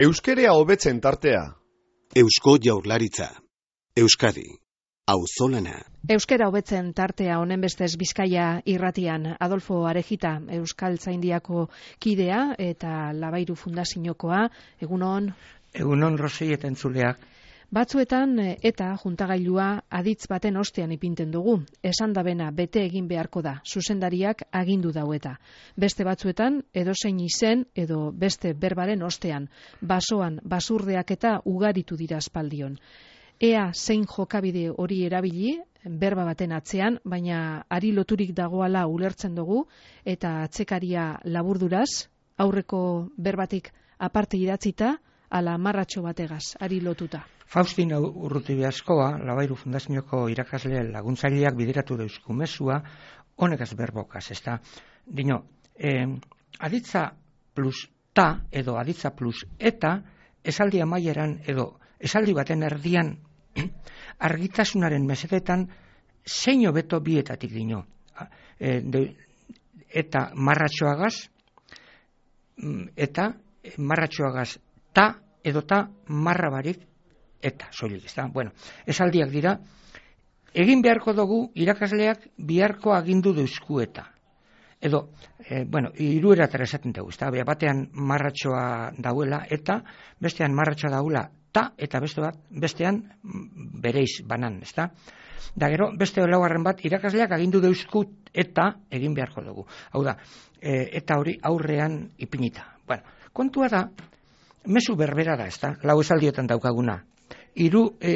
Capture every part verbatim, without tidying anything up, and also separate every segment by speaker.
Speaker 1: Euskerea hobetzen tartea.
Speaker 2: Eusko Jaurlaritza. Euskadi. Auzolana.
Speaker 3: Euskera hobetzen tartea honen bestez Bizkaia irratian. Adolfo Arejita, Euskaltzaindiako kidea eta Labairu Fundaziokoa. Egunon.
Speaker 4: Egunon Rosei eta entzuleak.
Speaker 3: Batzuetan eta juntagailua aditz baten ostean ipinten dugu. Esan dabena bete egin beharko da, zuzendariak agindu daueta. Beste batzuetan edozein izen edo beste berbaren ostean, basoan basurdeak eta ugaritu dira aspaldion. Ea zein jokabide hori erabili, berba baten atzean, baina ari loturik dagoala ulertzen dugu, eta atzekaria laburduraz, aurreko berbatik aparte idatzita, ala marratxo bategaz, ari lotuta.
Speaker 4: Faustin Urrutibiaskoa, Labairu Fundazioko irakasle laguntzaileak bideratu deusku mezua, honekaz berbokaz, ezta? Dino, eh, aditza plus ta, edo aditza plus eta, esaldi amaieran, edo esaldi baten erdian, argitasunaren mesedetan, zein hobeto bietatik dino. E, de, eta marratxoagaz, eta marratxoagaz ta, edo ta marra barik, eta soilik, ezta? Bueno, esaldiak dira, egin beharko dugu irakasleak biharko agindu deusku eta. Edo, e, bueno, hirueratara esaten dugu, ezta? Batean marratxoa dauela eta, bestean marratxoa dauela ta, eta beste bat, bestean bereiz banan, ezta? Da gero, beste laugarren bat, irakasleak agindu deusku eta egin beharko dugu. Hau da, e, eta hori aurrean ipinita. Bueno, kontua da, mezu berbera da, ezta? Lau esaldiotan daukaguna. Hiru e,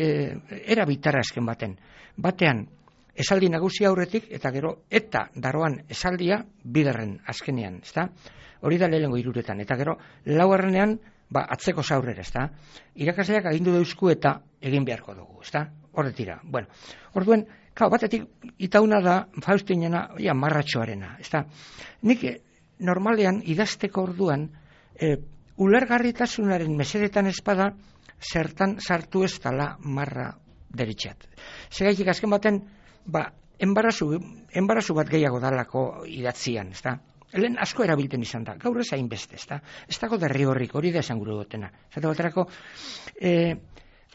Speaker 4: era bitara esken baten. Batean, esaldi nagusia aurretik, eta gero, eta daroan esaldia bigarren azkenean, ezta? Hori da lehenengo hiruretan. Eta gero, laugarrenean, ba, atzeko zaurrera, ezta? Irakasleak agindu deusku eta egin beharko dugu, ezta? Horretira. Bueno, orduen, kau, batetik, itauna da, Faustinena, ja, marratxoarena, ezta? Nik, normalean, idazteko orduan, e, ulergarritasunaren mesedetan espada, zertan sartu ez dala marra deritxat. Segaitik azken baten, ba, enbarazu, enbarazu bat gehiago dalako idatzian, ezta? Lehen asko erabilten izan da, gaur ez hainbeste, ezta? Ez dago derri horrik, hori da esan gure gotena. Zata baterako, e,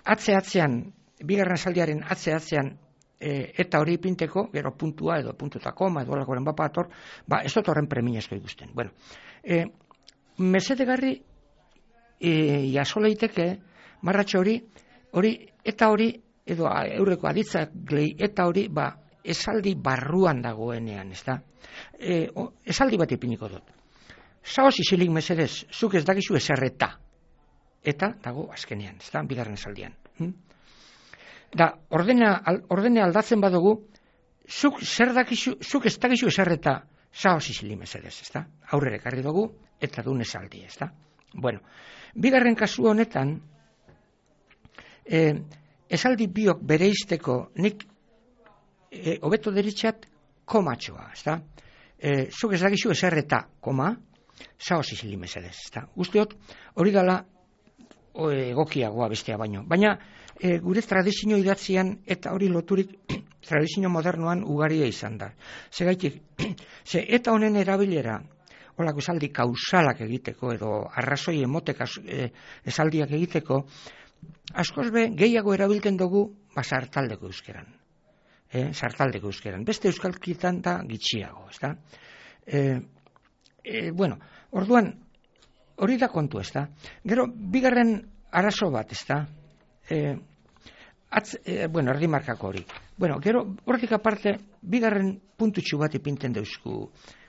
Speaker 4: atze-atzean, bigarren esaldiaren atze-atzean, e, eta hori ipinteko, gero puntua edo puntuta koma, edo alakoren bapator, ba, ez dut horren premiazko ikusten. Bueno, e, mesedegarri, e, jaso leiteke, marratxo hori, hori, eta hori, edo eurreko aditzak gehi, eta hori, ba, esaldi barruan dagoenean, ez da? E, o, esaldi bat ipiniko dut. Saoz isilik mesedez, zuk ez dakizu eserreta. Eta dago azkenean, ez da? Bigarren esaldian. Hm? Da, ordena, ordene aldatzen badugu, zuk zer dakizu, zuk ez dakizu eserreta, saoz isilik mesedez, ez da? Aurrere karri dugu, eta dun esaldi, ez da? Bueno, bigarren kasu honetan, E, esaldi biok bereizteko nik e, hobeto deritxat komatxoa, ezta? E, zuk ez dakizu eserreta, koma, saoz izili mesedez, ezta? Usteot, hori dala egokiagoa bestea baino. Baina e, gure tradizio idatzian eta hori loturik tradizio modernoan ugaria izan da. Segaitik, ze eta honen erabilera, holako esaldi kausalak egiteko edo arrazoi emotek e, esaldiak egiteko, askoz be, gehiago erabiltzen dugu, ba, sartaldeko euskeran. E, sartaldeko euskeran. Beste euskalkitan da gitxiago, ez da? E, e, bueno, orduan, hori da kontu, ez da? Gero, bigarren arazo bat, ez da? E, atz, e, bueno, erdimarkako hori. Bueno, gero, horretik aparte, bigarren puntutxu bat ipinten deusku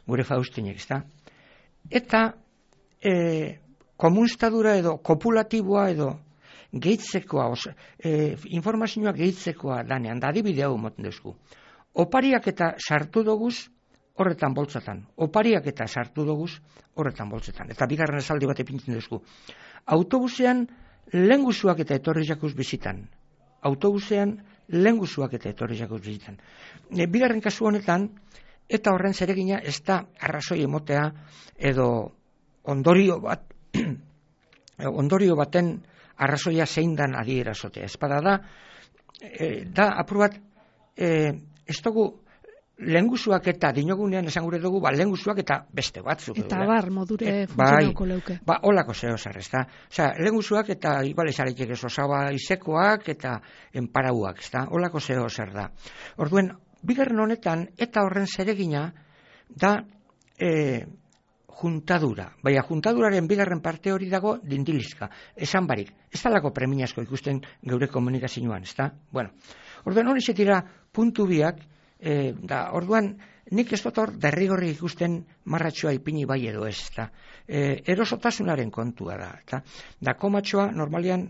Speaker 4: gure Faustinek, ez da? Eta, e, komunstadura edo, kopulatiboa edo, gehitzekoa, oso, e, informazioa gehitzekoa danean, da adibide hau moten duzku. Opariak eta sartu doguz, horretan boltzatan. Opariak eta sartu doguz, horretan boltzetan. Eta bigarren esaldi bat epintzen duzku. Autobusean, lehenguzuak eta etorri jakuz bizitan. Autobusean, lehenguzuak eta etorri jakuz bizitan. E, bigarren kasu honetan, eta horren zeregina, ez da arrazoi emotea, edo ondorio bat, ondorio baten, arrazoia zein dan adierazotea. Espada da, e, da apur bat, e, ez dugu lehengusuak eta dinogunean esan gure dugu, ba, lehengusuak eta beste batzuk.
Speaker 3: Eta bar, modure
Speaker 4: e,
Speaker 3: funtzionauko leuke.
Speaker 4: Ba, olako zeo zer, ez da. Osa, lehengusuak eta igual ezaretik ez osaba izekoak eta enparauak, ez da. Olako zeo zer da. Orduen, bigarren honetan, eta horren zeregina, da e, juntadura. Baina juntaduraren bigarren parte hori dago dindilizka. Esan barik. Ez talako premiazko ikusten geure komunikazioan, ez da? Bueno, orduan hori zetira puntu biak, e, da, orduan nik ez dut hor derrigorri ikusten marratxoa ipini bai edo ez, da. E, erosotasunaren kontua da, eta da komatxoa normalian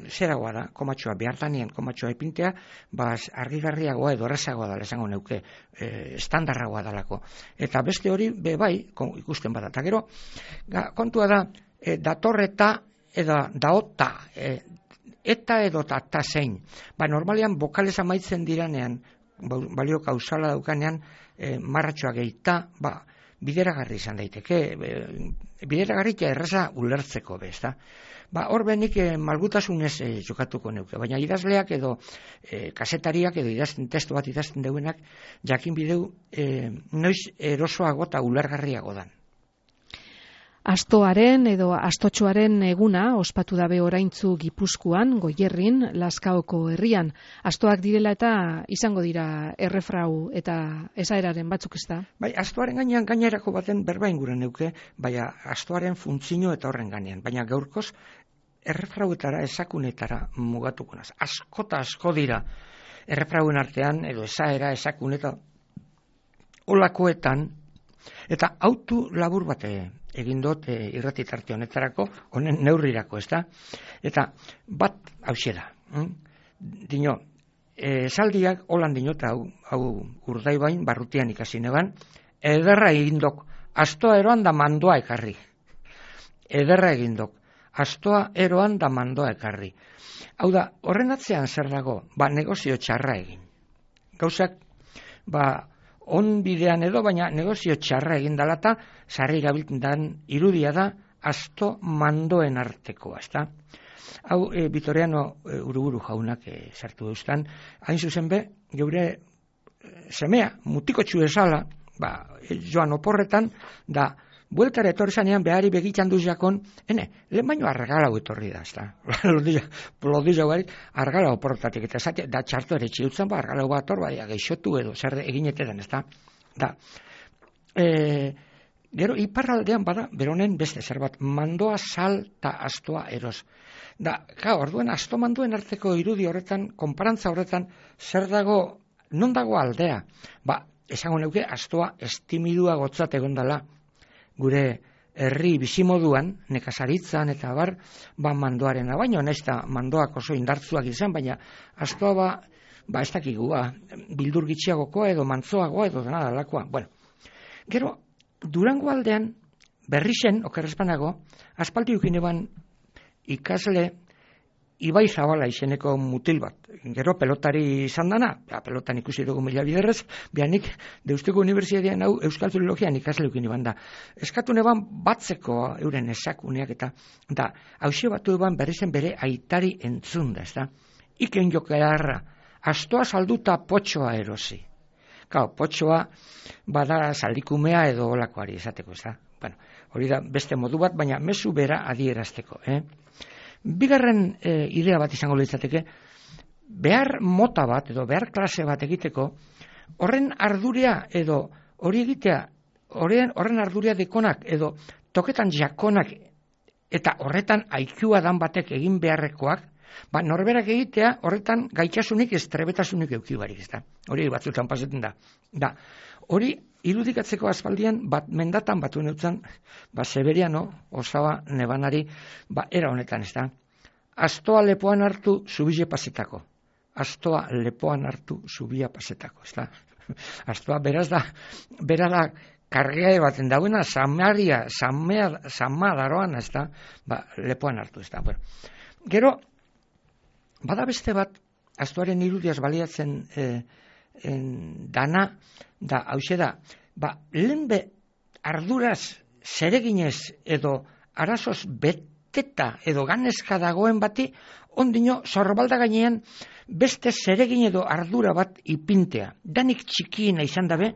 Speaker 4: zeragoa da, komatxoa, behartanien komatxoa ipintea, baz argigarriagoa edo errazagoa dala esango neuke, e, estandarragoa dalako. Eta beste hori, be bai, ikusten bada. Eta gero, ga, kontua da, e, datorreta edo daota, e, eta edo ta zein. Ba, normalian, bokalez amaitzen diranean, balio kausala daukanean, e, marratxoa gehita, ba, bideragarri izan daiteke, e, bideragarri eta erraza ulertzeko bez, da. Ba, hor benik eh, malgutasunez eh, jokatuko neuke, baina idazleak edo eh, kasetariak edo idazten testu bat idazten deuenak jakin bideu eh, noiz erosoago eta ulergarriago dan.
Speaker 3: Astoaren edo astotxoaren eguna ospatu dabe oraintzu Gipuzkoan, Goierrin, Lazkaoko herrian. Astoak direla eta izango dira errefrau eta esaeraren batzuk ez da?
Speaker 4: Bai, astoaren gainean gainerako baten berba inguren neuke, baina astoaren funtzio eta horren gainean. Baina gaurkoz errefrauetara, esakunetara mugatuko naz. Askota asko dira errefrauen artean edo esaera, esakuneta olakoetan, eta autu labur bate egin dut e, irrati tarte honetarako, honen neurrirako, ez da? Eta bat hauxe da. Hm? Dino, esaldiak holan dinot, hau, hau urdaibain, barrutian ikasi neban, ederra egindok, astoa eroan da mandoa ekarri. Ederra egindok, astoa eroan da mandoa ekarri. Hau da, horren atzean zer dago, ba, negozio txarra egin. Gauzak, ba, on bidean edo, baina negozio txarra egin dalata, sarri gabiltzen dan irudia da, asto mandoen artekoa, ez da? Hau, e, Vitoriano e, Uruburu jaunak e, sartu eustan, hain zuzen be, geure e, semea, mutiko txuezala, ba, e, joan oporretan, da, bueltara etorri zanean behari begitzen duz jakon, ene, lehen baino argalau etorri da, ez da? Lodizia barik, argalau oporretatik, eta zate, da txartu ere txiutzen, ba, argalau bat hor, baina geixotu edo, zer eginetetan, ez da? Da, e, gero, iparraldean bada, beronen beste, zer bat, mandoa sal eta astoa eros. Da, ka, orduen, asto mandoen arteko irudi horretan, konparantza horretan, zer dago, non dago aldea? Ba, esango neuke, astoa estimidua gotzat egondala, gure herri bizimoduan, nekazaritzan eta bar, ba mandoarena, baino naiz eta mandoak oso indartzuak izan, baina astoa ba, ba ez dakigua, bildur gitxiagokoa edo mantzoagoa edo dena dalakoa. Bueno, gero, Durango aldean, berri zen, okerrezpanago, aspaldi ukin eban ikasle Ibai Zabala izeneko mutil bat. Gero pelotari izan dana, ja, pelotan ikusi dugu mila biderrez, bianik Deustuko Unibertsitatean hau Euskal Filologian ikasleukin iban da. Eskatu neban batzeko euren esakuneak eta da, hauxe batu eban berri zen bere aitari entzun da, ez da? Iken jokearra, astoa salduta potxoa erosi. Kau, potxoa bada saldikumea edo olakoari esateko, ez da? Bueno, hori da beste modu bat, baina mezu bera adierazteko, eh? Bigarren e, idea bat izango litzateke, behar mota bat edo behar klase bat egiteko, horren ardurea edo hori egitea, horren, horren ardurea dekonak edo toketan jakonak eta horretan aikua dan batek egin beharrekoak, ba, norberak egitea horretan gaitasunik ez trebetasunik eukibarik, ez da. Hori batzutan pasetan da. Da, hori irudikatzeko aspaldian bat mendatan batu neutzen, ba, Severiano, osaba nebanari, ba, era honetan, ez da. Astoa lepoan hartu, zubile pasetako. Astoa lepoan hartu, zubia pasetako, ez da. Astoa, beraz da, beraz da, kargea baten dauena, samaria, samea, sama daroan, ez da, ba, lepoan hartu, ez da. Bueno, gero, bada beste bat, astoaren irudiaz baliatzen e, en, dana, da, hauxe da, ba, lehenbe arduraz, zereginez edo arazoz bete gazteta edo ganeska dagoen bati, ondino zorbalda gainean beste zeregin edo ardura bat ipintea. Danik txikiena izan dabe,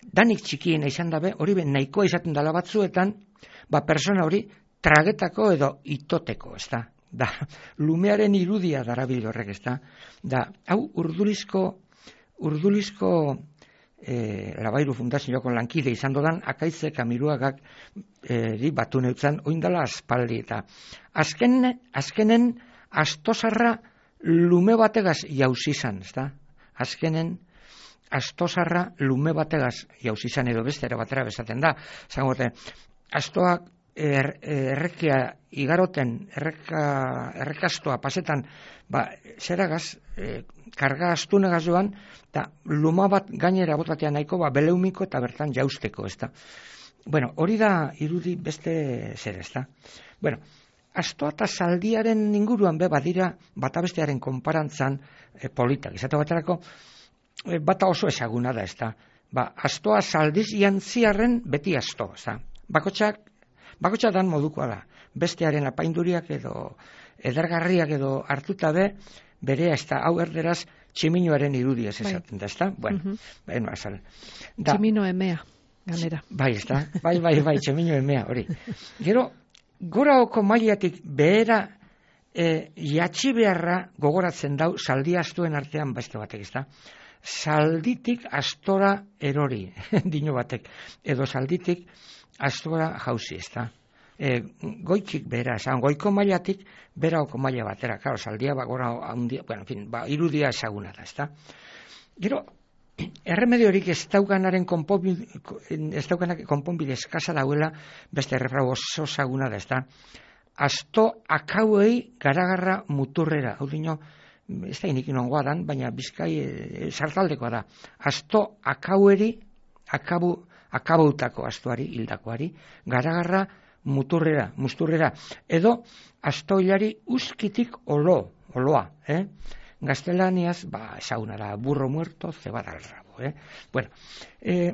Speaker 4: danik txikiena izan dabe, hori ben nahikoa izaten dela batzuetan, ba persona hori tragetako edo itoteko, ez da. Da, lumearen irudia darabil horrek, ez da. Da, hau urdulizko, urdulizko e, Labairu Fundazioko lankide izan dodan, akaitze kamiruagak e, batu neutzan, oindala aspaldi, eta azken, azkenen astosarra lume bategaz jauzi izan, ez da. Azkenen astosarra lume bategaz jauzi izan, edo beste ere batera bezaten da. Zangote, astoak Er, errekia igaroten, erreka, errekastoa pasetan, ba, zeragaz, e, karga astunegaz joan, eta luma bat gainera botatea nahiko, ba, beleumiko eta bertan jausteko, ez da. Bueno, hori da irudi beste zer, ez da. Bueno, astoa eta zaldiaren inguruan be, badira, bata bestearen konparantzan e, politak. Izate baterako, e, bata oso ezaguna da, ez da. Ba, astoa zaldiz jantziarren beti asto, ez da. Bakotxak, Bakotxa dan modukoa da, bestearen apainduriak edo edergarriak edo hartuta be, bere ez da, hau erderaz, tximinoaren irudia ez esaten da, ez da? Bueno, uh -huh. bueno, azal. Da,
Speaker 3: tximino emea, ganera.
Speaker 4: Bai, ez da, bai, bai, bai, tximino emea, hori. Gero, goraoko mailatik behera e, jatxi beharra gogoratzen dau, zaldi astuen artean beste batek, ez da? Zalditik astora erori, dino batek, edo zalditik astora jauzi, ez da. E, goitik bera, esan, goiko mailatik beraoko maila batera, karo, saldia, ba, gora, handia, bueno, en fin, ba, irudia ezaguna da, ez da. Gero, erremediorik ez daukanaren konponbide, ez daukanak konponbide eskasa dauela, beste errefrau oso ezaguna da, ez da. Asto akauei garagarra muturrera, hau dino, ez da inik inongoa dan, baina bizkai e, sartaldekoa da. Asto akaueri, akabu, akabautako astuari, hildakoari, garagarra muturrera, musturrera, edo astoilari uskitik olo, oloa, eh? Gaztelaniaz, ba, ezaguna da, burro muerto, cebada al rabo, eh? Bueno, eh,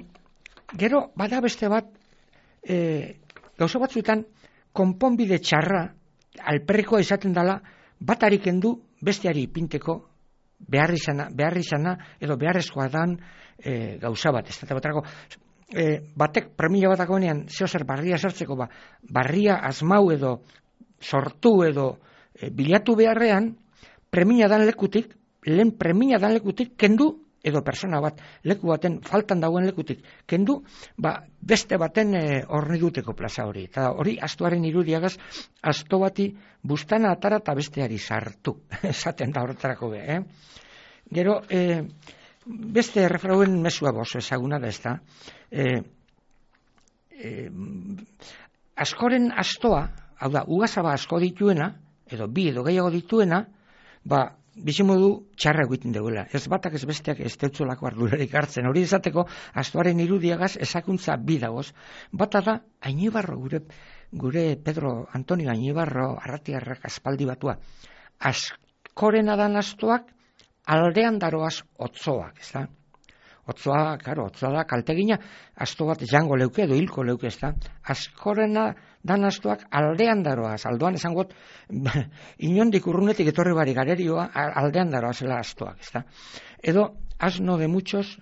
Speaker 4: gero, bada beste bat, eh, gauza batzuetan, konponbide txarra, alperrekoa izaten dela, batarik endu, besteari ipinteko, behar izana, behar izana, edo beharrezkoa dan eh, gauza bat, ez da batarako, E, batek premia bat dagoenean zeo zer barria sartzeko, ba, barria asmau edo sortu edo e, bilatu beharrean, premia dan lekutik, lehen premia dan lekutik, kendu, edo persona bat, leku baten faltan dagoen lekutik, kendu, ba, beste baten e, horni duteko plaza hori. Eta hori, astuaren irudiagaz, asto bati bustana atara eta besteari sartu, esaten da horretarako be, eh? Gero, e, beste errefrauen mesua boso ezaguna da, ez da. E, e, askoren astoa, hau da, ugazaba asko dituena, edo bi edo gehiago dituena, ba, bizimodu txarra egiten dugula. Ez batak ez besteak ez deutzolako ardurarik hartzen. Hori izateko, astoaren irudiagaz ezakuntza bi dagoz. Bata da, Ainibarro, gure, gure Pedro Antonio Ainibarro, arratiarrak aspaldi batua. Askorena dan astoak, aldean daroaz otzoak, ez da? Otzoa, karo, otzoa da kaltegina, asto bat jango leuke edo hilko leuke, ez da? Askorena dan astoak aldean daroaz, aldoan esangot, inondik urrunetik etorri bari garerioa, aldean daroazela astoak, ez da? Edo, asno de muchos,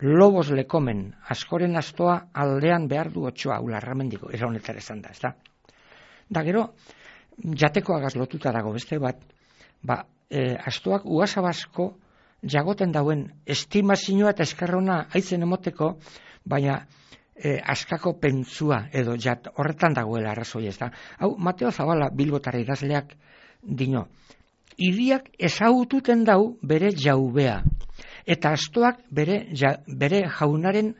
Speaker 4: lobos le comen, askoren astoa aldean behar du otsoa, ularramendiko, era honetar esan da, ez da? Da, gero, jatekoagaz lotuta dago beste bat, ba, E, astoak uasabasko jagoten dauen estimazioa eta eskerrona haitzen emoteko, baina e, askako pentsua edo jat, horretan dagoela arrazoi, ez da. Hau, Mateo Zabala Bilbotara idazleak dino, hiriak ezagututen dau bere jaubea, eta astoak bere, ja, bere jaunaren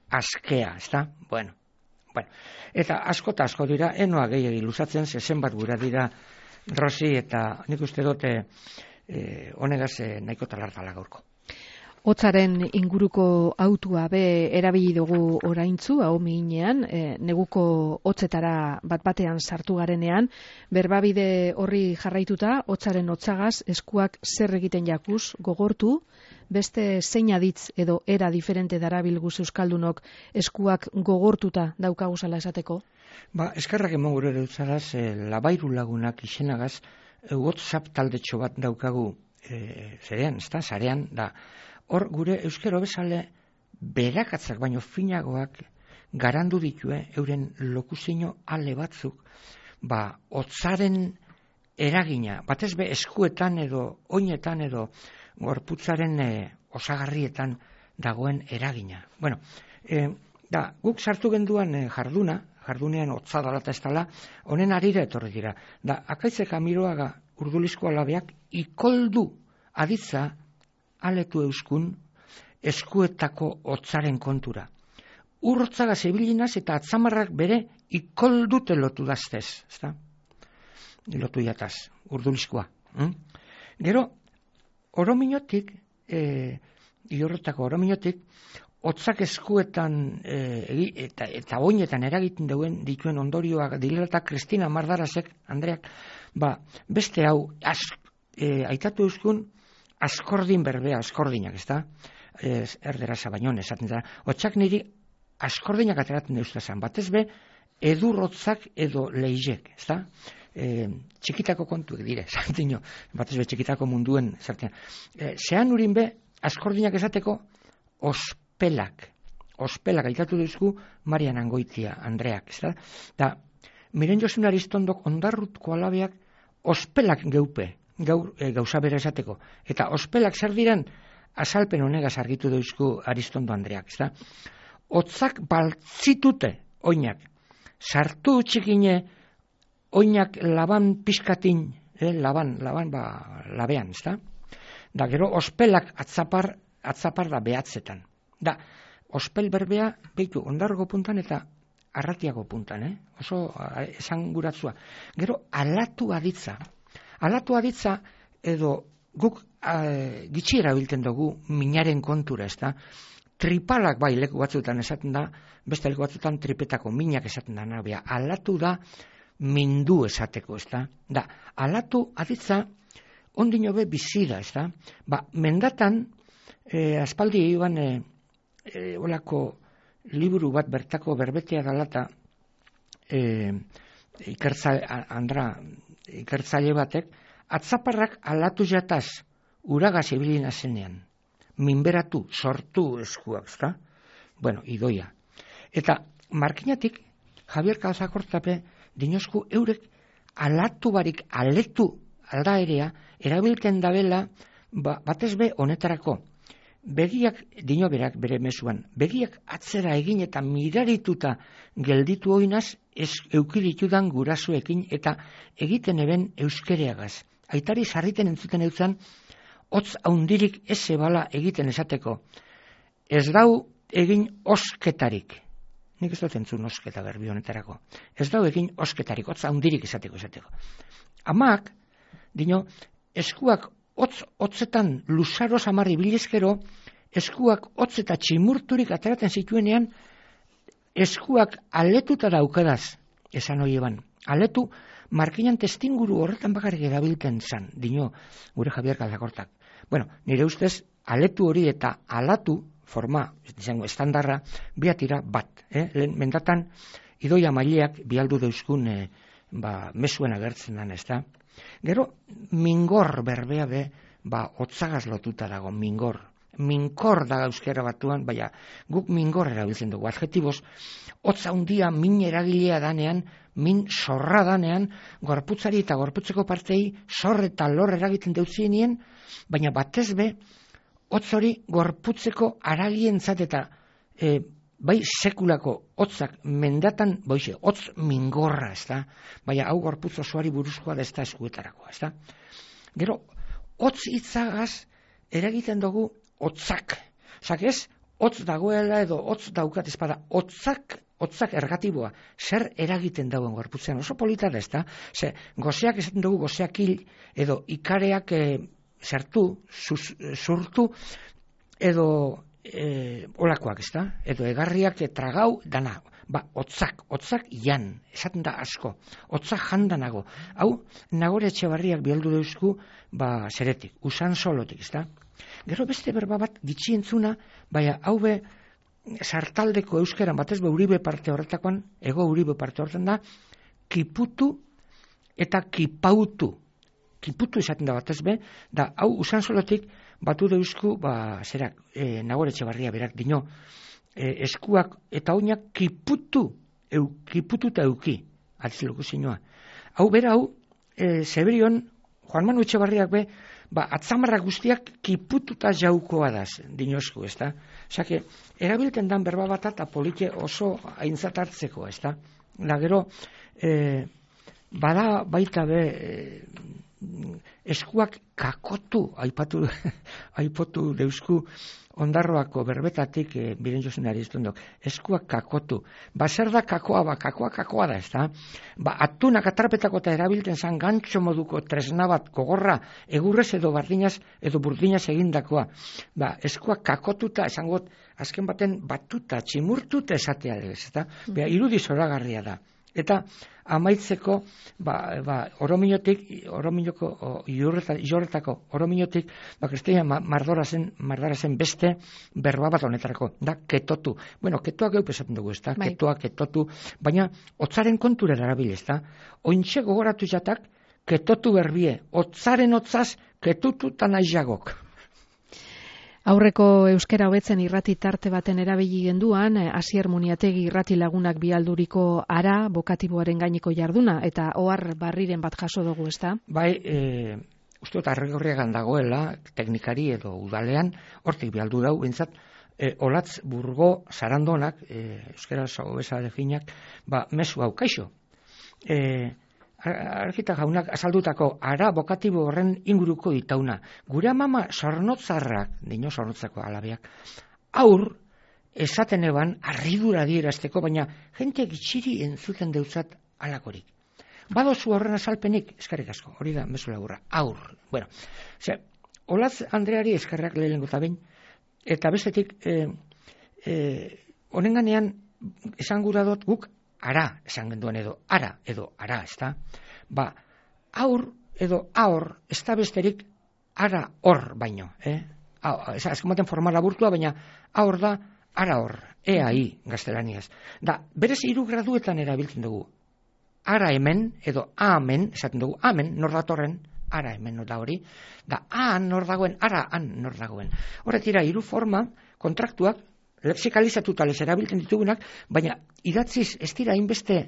Speaker 4: askea, ez da. Bueno, bueno. Eta asko eta asko dira, enoa gehiagi luzatzen, zezen bat gura dira, Rosi, eta nik uste dute eh, honegaz eh, nahiko talartala gaurko.
Speaker 3: Hotzaren inguruko autua be erabili dugu oraintzu, hau mihinean, e, neguko hotzetara bat batean sartu garenean, berbabide horri jarraituta, hotzaren hotzagaz, eskuak zer egiten jakuz, gogortu, beste zein aditz edo era diferente darabilguz euskaldunok eskuak gogortuta daukaguzala esateko?
Speaker 4: Ba, eskerrak emon gure dutzaraz, e, labairu lagunak izenagaz, e, WhatsApp taldetxo bat daukagu, e, zerean, ez da, zarean, da, hor gure euskero bezale berakatzak baino finagoak garandu ditue euren lokuzio ale batzuk, ba, hotzaren eragina, batez be eskuetan edo oinetan edo gorputzaren e, osagarrietan dagoen eragina. Bueno, e, da, guk sartu genduan e, jarduna, jardunean hotza dalata ez dala, honen arira etorri dira. Da, akaitzeka miroaga urdulizko alabeak ikoldu aditza aletu euskun eskuetako hotzaren kontura. Urrotzaga zebilinaz eta atzamarrak bere ikoldute lotu daztez, ezta? Lotu jataz, urdulizkoa. Hm? Gero, orominotik, e, iorrotako orominotik, hotzak eskuetan e, eta, eta oinetan eragiten duen dituen ondorioak dilata Kristina Mardarasek, Andreak, ba, beste hau, az, e, aitatu euskun, askordin berbea, askordinak, ez da? Ez, erderaza baino, esaten da. Hotzak niri askordinak ateratzen deustazan. Batez be, edurrotzak edo leizek, ez da? E, txikitako kontuek dire, zartino. Batez be, txikitako munduen, zartino. E, zean urin be, askordinak esateko, ospelak. Ospelak aitatu duzku Marian Angoitia, Andreak, ez da? Da, miren Josun Aristondok ondarrutko alabeak ospelak geupe. Gaur, e, gauza bera esateko. Eta ospelak zer diren, azalpen honegaz argitu dauzku Aristondo Andreak, ezta? Hotzak baltzitute oinak. Sartu txikine oinak laban pizkatin, eh, laban, laban ba, labean, ezta? Da, gero ospelak atzapar, atzapar da behatzetan. Da, ospel berbea, behitu, ondargo puntan eta arratiago puntan, eh? Oso esan guratzua. Gero, alatu aditza. Alatu aditza edo guk e, gitxiera bilten dugu minaren kontura, ez da? Tripalak bai leku batzuetan esaten da, beste leku batzuetan tripetako minak esaten da, nabia. Alatu da mindu esateko, ez da? Da, alatu aditza ondino be bizira, ez da? Ba, mendatan, e, aspaldi iban e, e, olako liburu bat bertako berbetea dalata, e, ikertza, andra, ikertzaile batek, atzaparrak alatu jataz, uragaz ibilina zenean, minberatu, sortu eskuak, ezta? Bueno, idoia. Eta markinatik, Javier Calzakortape, dinosku eurek alatu barik, aletu aldaerea, erabiltzen dabela, ba, batez be honetarako, begiak, dino berak bere mezuan, begiak atzera egin eta mirarituta gelditu oinaz, ez eukiritudan gurasoekin eta egiten eben euskereagaz. Aitari sarriten entzuten eutzan, hotz haundirik ez zebala egiten esateko. Ez dau egin osketarik. Nik ez dut entzun osketa berbi honetarako. Ez dau egin osketarik, hotz haundirik esateko esateko. Amak, dino, eskuak hotz hotzetan luzaro samarri bilezkero, eskuak hotz eta tximurturik ateratzen zituenean, eskuak aletuta daukadaz, esan hori eban. Aletu, markinan testinguru horretan bakarrik erabiltzen zan, dino, gure Javier Calzakortak. Bueno, nire ustez, aletu hori eta alatu, forma, izango, estandarra, biatira bat. Eh? Lehen, mendatan, idoia maileak bialdu dauzkun eh, ba, mesuen agertzen dan, ez da? Gero, mingor berbea be, ba, hotzagaz lotuta dago, mingor. Minkor da euskera batuan, baina guk mingor erabiltzen dugu. Adjetiboz, hotza handia min eragilea danean, min zorra danean, gorputzari eta gorputzeko partei zor eta lor eragiten deutzienien, baina batez be, hotz hori gorputzeko aragientzat eta e, bai sekulako hotzak mendatan, boixe, hotz mingorra, ez da? Baina hau gorputz osoari buruzkoa da ez da eskuetarako, ez da? Gero, hotz hitzagaz eragiten dugu hotzak. Zak ez, hotz dagoela edo hotz daukat espada, hotzak, hotzak ergatiboa, zer eragiten dauen gorputzean, oso polita da ez da? Ze, gozeak esaten dugu gozeak hil, edo ikareak e, zertu, zuz, zurtu, edo e, olakoak, ez da? Edo egarriak tragau dana. Ba, otzak, otzak jan, esaten da asko, otzak jandanago. Hau, Nagore Etxebarriak bialdu deuzku, ba, zeretik, usan solotik, ez da? Gero beste berba bat gitxi entzuna, baina hau be, sartaldeko euskeran, batez be Uribe parte horretakoan, ego Uribe parte horretan da, kiputu eta kipautu. Kiputu esaten da batez be, da hau usan solotik batu deuzku, ba, zerak, e, Nagore Etxebarria berak dino, E, eskuak eta oinak kiputu, eu, kiputu eta euki, atziloko zinua. Hau bera hau, e, Zeberion, Juan Manu Etxebarriak be, ba, atzamarrak guztiak kipututa jaukoa daz, dinosku, ez da? Osake, erabilten dan berba bat eta polite oso aintzat hartzeko, ez da? Da gero, e, bada baita be, e, eskuak kakotu, aipatu, aipotu deusku, Ondarroako berbetatik e, biren jozenari iztundok, eskuak kakotu. Ba, zer da kakoa, ba, kakoa kakoa da, ez da? Ba, atunak atrapetako eta erabilten zan gantxo moduko tresna bat gogorra, egurrez edo bardinaz edo burdinaz egindakoa. Ba, eskuak kakotuta, esangot, azken baten batuta, tximurtuta esatea, ez da? Bea, irudi zoragarria da. Eta amaitzeko, ba, ba, orominotik, orominoko, jorretako orominotik, ba, Kristina Mardorazen, Mardorazen beste berba bat honetarako, da, ketotu. Bueno, ketoak geu pesatzen dugu, ez da, bai. Ketoak, ketotu, baina, otzaren kontura erabil, ez da, ointxe gogoratu jatak, ketotu berbie, otzaren otzaz, ketutu eta naizagok.
Speaker 3: Aurreko euskera hobetzen irrati tarte baten erabili genduan, Asier Muniategi irrati lagunak bialduriko ara bokatiboaren gaineko jarduna, eta ohar barriren bat jaso dugu, ez da?
Speaker 4: Bai, e, uste dut arregorriagan dagoela, teknikari edo udalean, hortik bialdu dau, bintzat, e, olatz burgo zarandonak, e, euskera hobeza definak, ba, mesu hau, kaixo. E, Argita jaunak azaldutako ara bokatibo horren inguruko itauna. Gure amama sornotzarrak, dino sornotzako alabeak, aur esaten eban arridura dierazteko, baina jente gitxiri entzuten deutzat alakorik. Badozu horren azalpenik, eskarrik asko, hori da mezu lagurra, aur. Bueno, ze, Olatz Andreari eskarrak lehenengo eta behin, eta bestetik, e, e, honenganean esan gura dut guk, ara, esan genduen edo, ara, edo, ara, ez da? Ba, aur, edo, aur, ez da besterik, ara, hor, baino, eh? Ez azken forma laburtua, baina, aur da, ara, hor, ea, i, gaztelaniaz. Da, berez hiru graduetan erabiltzen dugu. Ara hemen, edo, amen, esaten dugu, amen, nor datorren, ara hemen, da hori, da, aan, nor dagoen, ara, an, nor dagoen. Horretira, hiru forma, kontraktuak, lexikalizatuta les erabiltzen ditugunak, baina idatziz ez dira hainbeste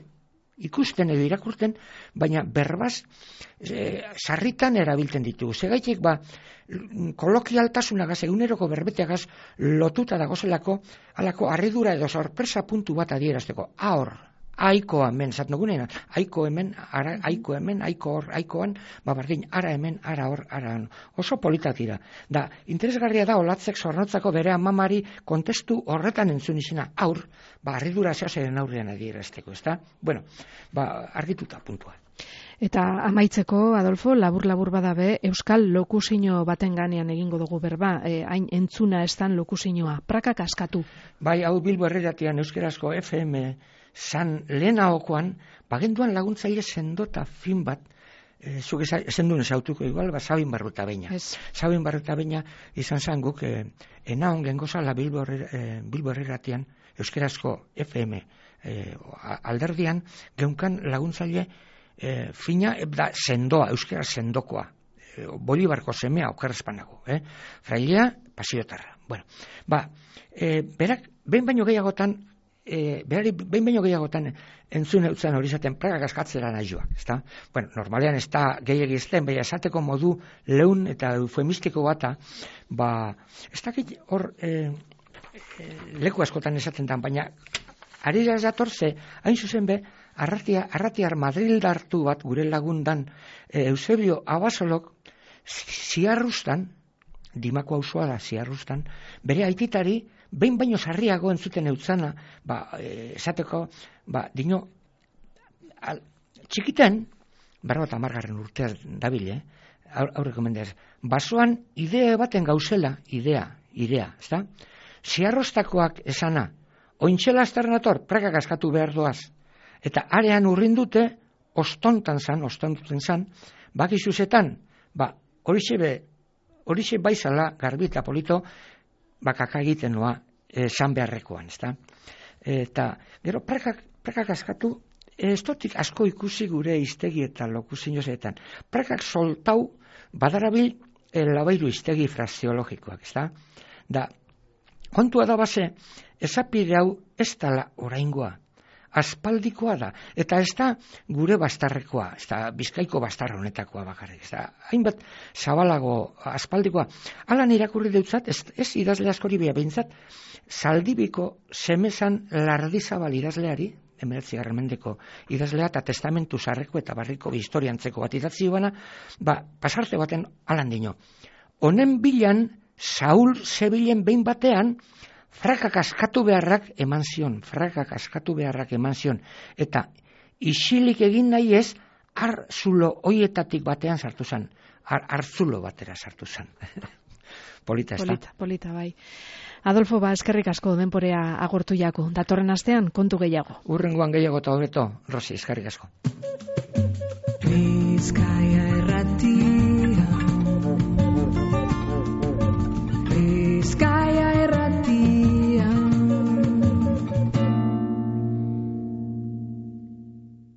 Speaker 4: ikusten edo irakurten, baina berbaz e, sarritan erabiltzen ditugu. Segaitik, ba, kolokialtasunagaz, eguneroko berbeteagaz lotuta dagozelako, alako harridura edo sorpresa puntu bat adierazteko. Ahor, aiko hemen, zaten dugunean, aiko hemen, ara, aiko hemen, aiko hor, aikoan, ba bardin, ara hemen, ara hor, ara han. Oso politak dira. Da, interesgarria da Olatzek zornotzako bere amamari kontestu horretan entzun izena, aur, ba, harridura zehazen aurrean adierazteko, ez da? Bueno, ba, argituta puntua.
Speaker 3: Eta amaitzeko, Adolfo, labur-labur badabe, Euskal lokusino baten ganean egingo dugu berba, e, hain entzuna estan lokusinoa, prakak askatu.
Speaker 4: Bai, hau Bilbo Herreratian euskerazko F M san lehenagokoan, bagenduan laguntzaile sendota fin bat, e, zuk esendun esautuko igual, ba, Sabin Barruta Beina.
Speaker 3: Yes.
Speaker 4: Sabin Barruta Beina izan zan guk, e, enaon gengozala Bilbo, e, Bilbo Herreratian euskerazko F M e, alderdian, geunkan laguntzaile e, fina, e, da, sendoa, euskera sendokoa. E, Bolibarko semea okerrezpanago. Eh? Frailea, pasiotarra. Bueno, ba, e, berak, behin baino gehiagotan, E, berari behin baino gehiagotan entzun eutzen hori zaten prakak askatzera nahi joak, ezta? Bueno, normalean ez da gehiagi ezten, baina esateko modu leun eta eufemistiko bata, ba, ez dakit hor e, e, leku askotan esaten dan, baina ari da datorze, hain zuzen be, arratia, arratiar madrildartu bat gure lagundan e, Eusebio Abasolok ziarrustan, Dimako auzoa da ziarrustan, bere aititari behin baino sarriago entzuten eutzana, ba, e, esateko, ba, dino, al, txikiten, berro eta margarren urtea dabile, eh? aurreko mendez, basoan idea baten gauzela, idea, irea, ezta? Ziarrostakoak esana, ointxela azternator, prakak askatu behar doaz, eta arean urrin dute, ostontan zan, ostontan zan, bakizuzetan, ba, horixe be, horixe baizala, garbi eta polito, bakaka egiten noa, esan beharrekoan, ezta? Eta, gero, prakak, prakak askatu, ez dotik asko ikusi gure iztegi eta lokuzinozetan. Prakak soltau badarabil e, labairu iztegi fraseologikoak, ezta? Da, kontua da base, ezapide hau ez dala oraingoa, aspaldikoa da, eta ez da gure bastarrekoa, ez da Bizkaiko bastarra honetakoa bakarrik, ez da hainbat zabalago aspaldikoa. Alan irakurri deutzat, ez, ez idazle askori bia behintzat, Zaldibiko semezan Lardizabal idazleari, hemeretzigarren mendeko idazlea eta testamentu zarreko eta barriko historiantzeko bat idatzi bana, ba, pasarte baten alan dino. Honen bilan, Saul zebilen behin batean, frakak askatu beharrak eman zion, frakak askatu beharrak eman zion, eta isilik egin nahi ez, arzulo hoietatik batean sartu zen, ar, arzulo batera sartu zen. Polita, ez da?
Speaker 3: Polita, polita, bai. Adolfo, ba, eskerrik asko denporea agortu jako. Datorren astean, kontu gehiago.
Speaker 4: Urrengoan gehiago eta hobeto, Rosi, eskerrik asko.
Speaker 5: Bizkaia